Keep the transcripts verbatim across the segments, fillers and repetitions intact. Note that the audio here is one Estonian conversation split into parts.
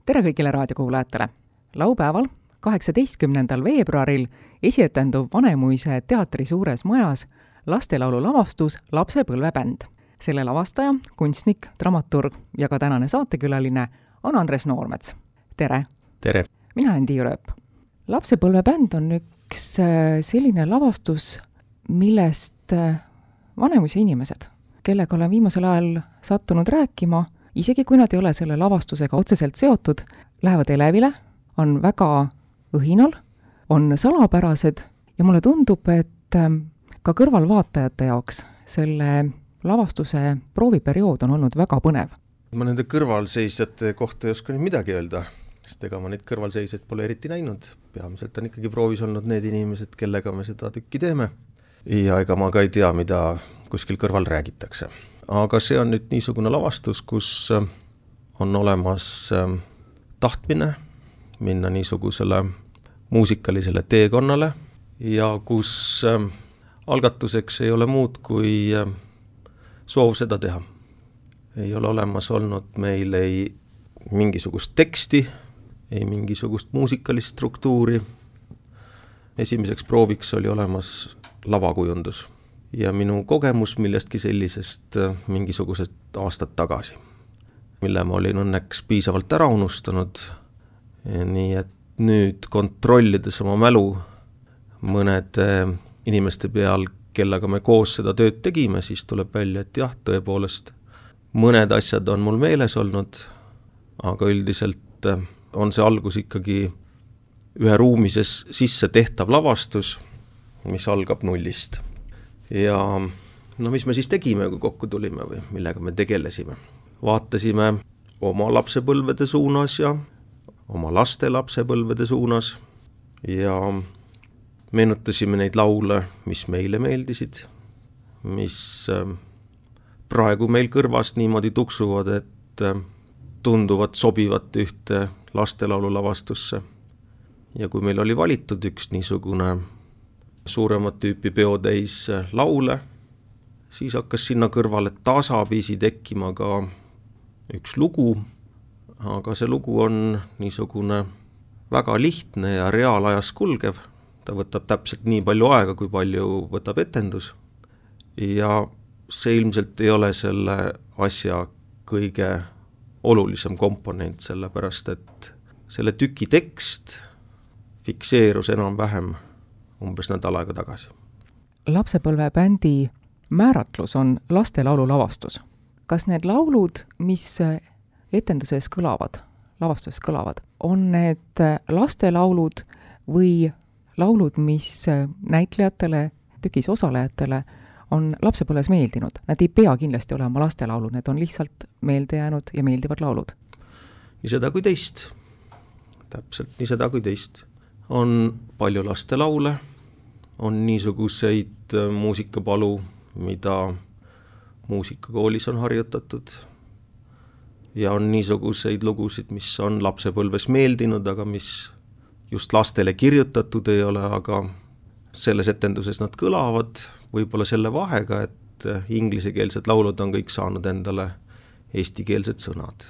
Tere kõigile raadiokuulajatele! Laupäeval, kaheksateistkümnendal veebruaril esietendub Vanemuise teatri suures majas lastelaulu lavastus Lapsepõlvebänd. Selle lavastaja, kunstnik, dramaturg ja ka tänane saatekülaline on Andres Noormets. Tere! Tere! Mina olen Tiiu Rööp. Lapsepõlvebänd on üks selline lavastus, millest Vanemuise inimesed, kellega olen viimasel ajal sattunud rääkima, isegi kui nad ei ole selle lavastusega otseselt seotud, lähevad elevile, on väga õhinal, on salapärased ja mulle tundub, et ka kõrvalvaatajate jaoks selle lavastuse prooviperiood on olnud väga põnev. Ma nende kõrvalseisjate kohta ei oska nüüd midagi öelda, sest ega ma neid kõrvalseisjaid pole eriti näinud. Peamiselt on ikkagi proovis olnud need inimesed, kellega me seda tükki teeme. Ja ega ma ka ei tea, mida kuskil kõrval räägitakse. Aga see on nüüd niisugune lavastus, kus on olemas tahtmine minna niisugusele muusikalisele teekonnale ja kus algatuseks ei ole muud kui soov seda teha. Ei ole olemas olnud meil ei mingisugust teksti, ei mingisugust muusikalist struktuuri. Esimeseks prooviks oli olemas lavakujundus ja minu kogemus millestki sellisest mingisugused aastad tagasi, mille ma olin õnneks piisavalt ära unustanud. Nii et nüüd kontrollides oma mälu mõnede inimeste peal, kellega me koos seda tööd tegime, siis tuleb välja, et jah, tõepoolest mõned asjad on mul meeles olnud, aga üldiselt on see algus ikkagi ühe ruumises sisse tehtav lavastus, mis algab nullist. Ja no mis me siis tegime, kui kokku tulime või millega me tegelesime? Vaatasime oma lapsepõlvede suunas ja oma laste lapsepõlvede suunas ja meenutasime neid laule, mis meile meeldisid, mis praegu meil kõrvast niimoodi tuksuvad, et tunduvad sobivat ühte lastelaulu lavastusse. Ja kui meil oli valitud üks niisugune suuremat tüüpi peotäis laule, siis hakkas sinna kõrvale tasapisi tekkima ka üks lugu, aga see lugu on niisugune väga lihtne ja reaalajas kulgev. Ta võtab täpselt nii palju aega, kui palju võtab etendus ja see ilmselt ei ole selle asja kõige olulisem komponent, sellepärast et selle tüki tekst fikseerus enam vähem umbes nädal aega tagasi. Lapsepõlvebändi määratlus on lastelaulu lavastus. Kas need laulud, mis etenduses kõlavad, lavastuses kõlavad, on need lastelaulud või laulud, mis näitlejatele, tükis osalejatele on lapsepõlves meeldinud? Nad ei pea kindlasti olema lastelaulud, need on lihtsalt meelde jäänud ja meeldivad laulud. Nii seda kui teist. Täpselt nii seda kui teist. On palju lastelaule, on niisuguseid muusikapalu, mida muusikakoolis on harjutatud ja on niisuguseid lugusid, mis on lapsepõlves meeldinud, aga mis just lastele kirjutatud ei ole, aga selles etenduses nad kõlavad võib-olla selle vahega, et inglisekeelsed laulud on kõik saanud endale eestikeelsed sõnad.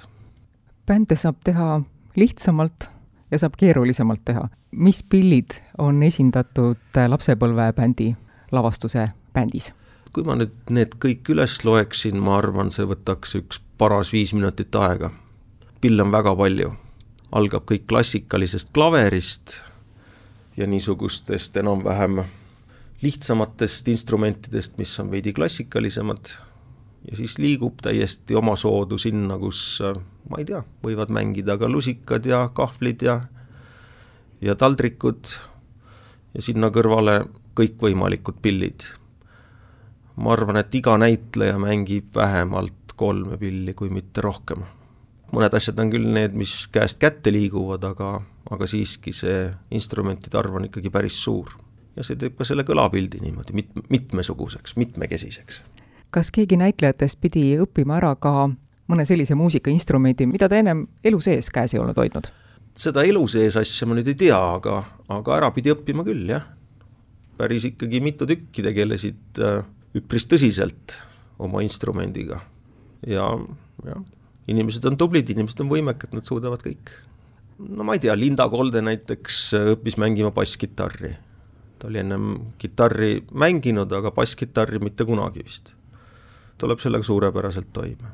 Bände saab teha lihtsamalt ja saab keerulisemalt teha. Mis pillid on esindatud lapsepõlvebändi lavastuse bändis? Kui ma nüüd need kõik üles loeksin, ma arvan, see võtaks üks paras viis minutit aega. Pill on väga palju. Algab kõik klassikalisest klaverist ja niisugustest enam-vähem lihtsamatest instrumentidest, mis on veidi klassikalisemad. Ja siis liigub täiesti oma soodu sinna, kus, ma ei tea, võivad mängida ka lusikad ja kahvlid ja, ja taldrikud ja sinna kõrvale kõik võimalikud pillid. Ma arvan, et iga näitleja mängib vähemalt kolme pilli, kui mitte rohkem. Mõned asjad on küll need, mis käest kätte liiguvad, aga, aga siiski see instrumentide arv on ikkagi päris suur. Ja see teeb ka selle kõlapildi niimoodi mit, mitmesuguseks, mitmekesiseks. Kas keegi näitlejatest pidi õppima ära ka mõne sellise muusikainstrumendi, mida ta ennem elu sees käes ei olnud hoidnud? Seda elu sees asja ma nüüd ei tea, aga, aga ära pidi õppima küll, jah. Päris ikkagi mitu tükki tegelesid üpris tõsiselt oma instrumendiga. Ja, ja inimesed on tublid, inimesed on võimekad, nad suudavad kõik. No ma ei tea, Linda Kolde näiteks õppis mängima basskitarri. Ta oli ennem kitarri mänginud, aga basskitarri mitte kunagi vist. Tuleb sellega suurepäraselt toime.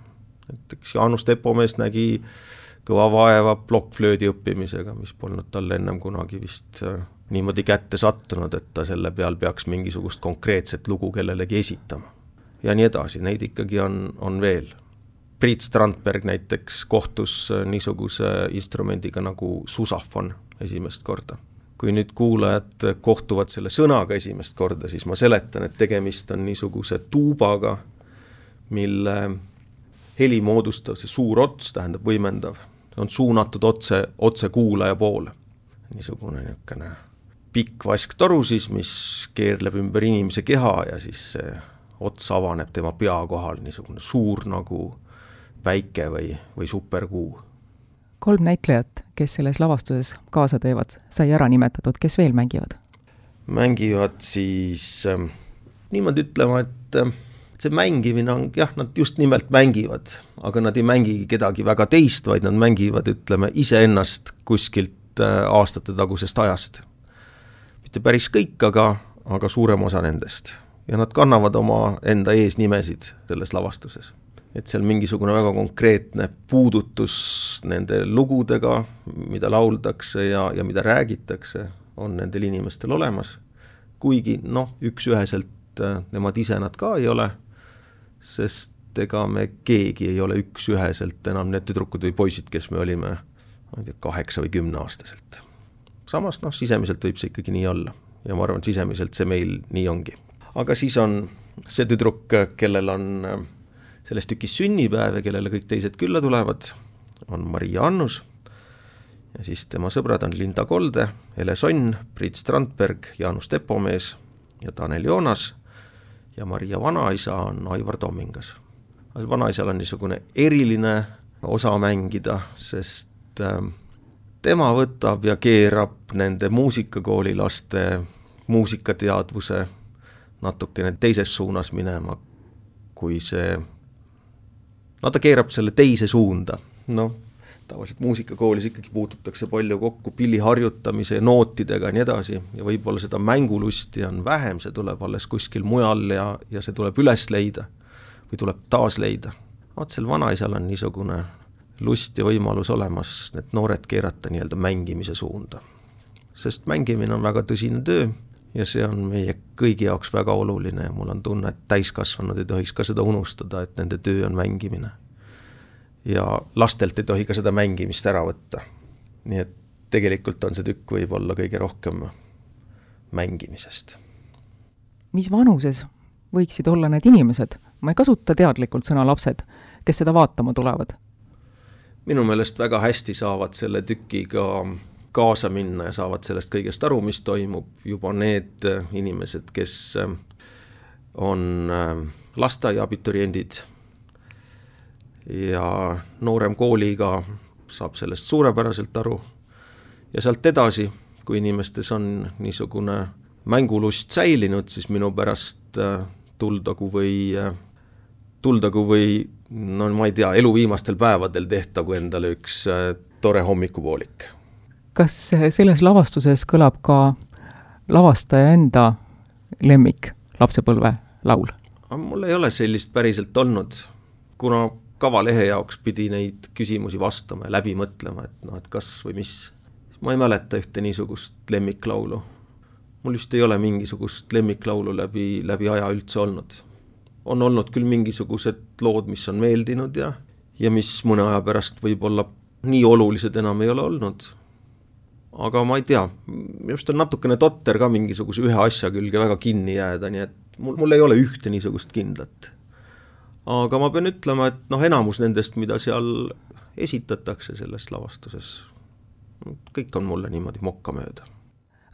Näiteks Jaanus Tepomees nägi kõva vaeva plokkflöödi õppimisega, mis polnud talle ennem kunagi vist niimoodi kätte sattunud, et ta selle peal peaks mingisugust konkreetset lugu kellelegi esitama. Ja nii edasi, neid ikkagi on, on veel. Priit Strandberg näiteks kohtus niisuguse instrumendiga nagu susafon esimest korda. Kui nüüd kuulajad kohtuvad selle sõnaga esimest korda, siis ma seletan, et tegemist on niisuguse tuubaga, mille heli moodustav, see suur ots, tähendab võimendav, on suunatud otse, otse kuulaja poole. Niisugune niisugune pikk vasktoru siis, mis keerleb ümber inimese keha ja siis see ots avaneb tema pea kohal, niisugune suur nagu päike või, või superkuu. Kolm näitlejat, kes selles lavastuses kaasa teevad, sai ära nimetatud, kes veel mängivad? Mängivad siis äh, niimoodi ütlema, et äh, see mängimine on, jah, nad just nimelt mängivad, aga nad ei mängigi kedagi väga teist, vaid nad mängivad, ütleme, iseennast kuskilt äh, aastate tagusest ajast. Mitte päris kõik, aga, aga suurem osa nendest. Ja nad kannavad oma enda eesnimesid selles lavastuses. Et seal mingisugune väga konkreetne puudutus nende lugudega, mida lauldakse ja, ja mida räägitakse, on nendel inimestel olemas. Kuigi, noh, üks üheselt nemad ise nad ka ei ole, sest ega me keegi ei ole üks üheselt enam need tüdrukud või poisid, kes me olime ma ei tea, kaheksa või kümne aastaselt. Samas, noh, sisemiselt võib see ikkagi nii olla. Ja ma arvan, sisemiselt see meil nii ongi. Aga siis on see tüdruk, kellel on selles tükis sünnipäev ja kellele kõik teised külla tulevad, on Maria Annus ja siis tema sõbrad on Linda Kolde, Ele Sonn, Priit Strandberg, Jaanus Tepomees ja Tanel Joonas ja Maria vanaisa on Aivar Tommingas. Vanaisal on niisugune eriline osa mängida, sest tema võtab ja keerab nende muusikakooli laste muusikateadvuse natukene teises suunas minema, kui see no ta keerab selle teise suunda. No, tavaliselt muusikakoolis ikkagi puututakse palju kokku pilli harjutamise ja nootidega ja nii edasi. Ja võib-olla seda mängulusti on vähem, see tuleb alles kuskil mujal ja, ja see tuleb üles leida või tuleb taas leida. Vaat sel vanaisal on niisugune lust ja võimalus olemas need noored keerata nii-öelda mängimise suunda. Sest mängimine on väga tõsine töö ja see on meie kõigi jaoks väga oluline ja mul on tunne, et täiskasvanud ei tohiks ka seda unustada, et nende töö on mängimine. Ja lastelt ei tohi ka seda mängimist ära võtta. Nii et tegelikult on see tükk võib-olla kõige rohkem mängimisest. Mis vanuses võiksid olla need inimesed? Ma ei kasuta teadlikult sõna lapsed, kes seda vaatama tulevad. Minu meelest väga hästi saavad selle tükiga kaasa minna ja saavad sellest kõigest aru, mis toimub. Juba need inimesed, kes on lasteaia abituriendid ja noorem kooliga saab sellest suurepäraselt aru. Ja sealt edasi, kui inimestes on niisugune mängulust säilinud, siis minu pärast tuldagu või, tuldagu või no ma ei tea, elu viimastel päevadel tehtagu endale üks tore hommikupoolik. Kas selles lavastuses kõlab ka lavastaja enda lemmik lapsepõlve laul? Mul ei ole sellist päriselt olnud, kuna kavalehe jaoks pidi neid küsimusi vastama ja läbi mõtlema, et, no, et kas või mis. Ma ei mäleta ühte niisugust lemmiklaulu. Mul just ei ole mingisugust lemmiklaulu läbi, läbi aja üldse olnud. On olnud küll mingisugused lood, mis on meeldinud ja, ja mis mõne aja pärast võib-olla nii olulised enam ei ole olnud. Aga ma ei tea, just on natukene totter ka mingisuguse ühe asja külge väga kinni jääda, nii et mul, mul ei ole ühte niisugust kindlat. Aga ma pean ütlema, et noh, enamus nendest, mida seal esitatakse selles lavastuses, kõik on mulle niimoodi mokka mööda.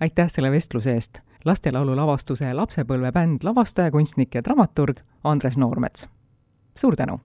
Aitäh selle vestluse eest! Lastelaulu lavastuse Lapsepõlve bänd lavastaja, kunstnik ja dramaturg Andres Noormets. Suur tänu!